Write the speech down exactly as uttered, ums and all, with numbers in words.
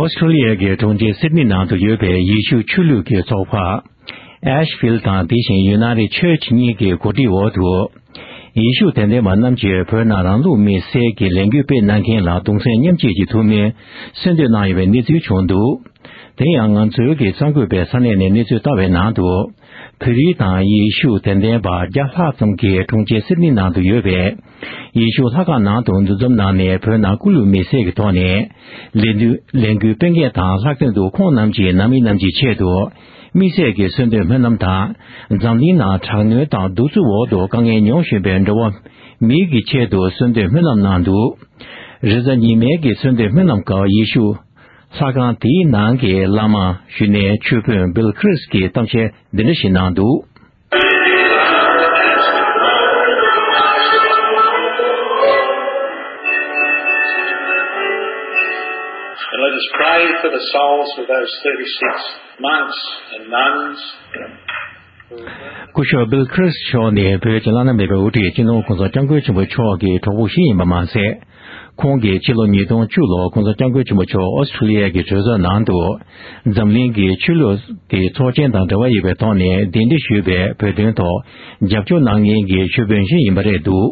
ཨོ་སི་ཁྲུ་ལི་ཡ་གི་གྲོང་ཁྱེར་སིད་ནི་ནང་དུ་ཡོད་པའི་ཡེ་ཤུ་ཆོས་ལུགས་ཀྱི་ཚོགས་པ་ཨེཤ་ཕིལ་དང་དེ་བཞིན་ཡུ་ནའི་ཊེཌ་ཆར་ཆི་གཉིས་ཀྱི་གོ་སྒྲིག་འོག་ཏུ། ཡེ་ཤུ་དད་ལྡན་པ་རྣམས་ཀྱིས་བོད་ནང་རང་ལུགས་དམིགས་བསལ་གྱི་ལས་འགུལ་སྤེལ་གནང་མཁན་ལ་གདུང་སེམས་མཉམ་སྐྱེད་ཀྱི་ཐུགས་སྨོན་གསོལ་འདེབས་གནང་ཡོད་པའི་གནས་ཚུལ་བྱུང་འདུག་དེ་ཡང་ང་ཚོའི་གི་གསར་འགོད་པས་ས་གནས་ནས་གནས་ཚུལ་བལྟ་བའི་ནང་དུ། བོད་རིགས་དང་ཡེ་ཤུ་དད་ལྡན་པ་བརྒྱ་ལྷག་ཙམ་གྱིས་གྲོང་ཁྱེར་སིད་ནི་ནང་དུ་ཡོད་པའི་ཡེ་ཤུ་ལྷ་ཁང་ནང་དུ་འདུ་འཛོམས་གནང་ནས། བོད་ནང་སྐུ་ལུས་མེར་སྲེག་གི་ཐོག་ནས་ལས་འགུལ་ལས་འགུལ་སྤེལ་མཁན་དང་ལྷག་དོན་དུ་ཁོང་རྣམས་ཀྱིས་ནང་མི་རྣམས་ཀྱི་ཆེད་དུ་དམིགས་བསལ་གྱི་གསོལ་འདེབས་སྨོན་ལམ་དང་། འཛམ་གླིང་ནང་དྲག་གནོན་དང་གདུག་རྩུབ་འོག་ཏུ་དཀའ་ངལ་མྱོང་བཞིན་པའི་འགྲོ་བ་མིའི་གི་ཆེད་དུ་གསོལ་འདེབས་སྨོན་ལམ་གནང་འདུག་རེས་གཟའ་ཉི་མའི་གི་གསོལ་འདེབས་སྨོན་ལམ་སྐབས་ཡེ་ཤུ་ལྷ་ཁང་དེའི་ནང་གི་བླ་མ་གཞོན་ནུའི་ཆོས་དཔོན་བིལ་ཁྲིས་ཀྱིས་གཏམ་བཤད་འདི་འདྲ་ཞིག་གནང་འདུག And let us pray for the souls of those thirty-six monks and nuns. སྐུ་ཞབས་བིལ་ཁྲིས་མཆོག་ནི་བོད་ཀྱི་བླ་ན་མེད་པའི་དབུ་ཁྲིད་སྤྱི་ནོར་༸གོང་ས་༸སྐྱབས་མགོན་ཆེན་པོ་མཆོག་གི་གྲོགས་པོ་ཞིག་ཡིན་པ་མ་ཟད། ཁོང་གིས་ཕྱི་ལོ་ཉིས་སྟོང་བཅུ་ལོར་༸གོང་ས་༸སྐྱབས་མགོན་ཆེན་པོ་མཆོག་ཨོ་སི་ཁྲུ་ལི་ཡ་གི་གྲོས་ཚོགས་ནང་དུ་འཛམ་གླིང་གི་ཆོས་ལུགས་ཀྱི་ཚོགས་ཆེན་དང་འབྲེལ་བ་ཡོད་པའི་ཐོག་ནས་གདན་འདྲེན་ཞུས་པའི་བོད་དོན་ཐོག་རྒྱབ་སྐྱོར་གནང་མཁན་གྱི་ཆོས་དཔོན་ཞིག་ཡིན་པ་རེད་འདུག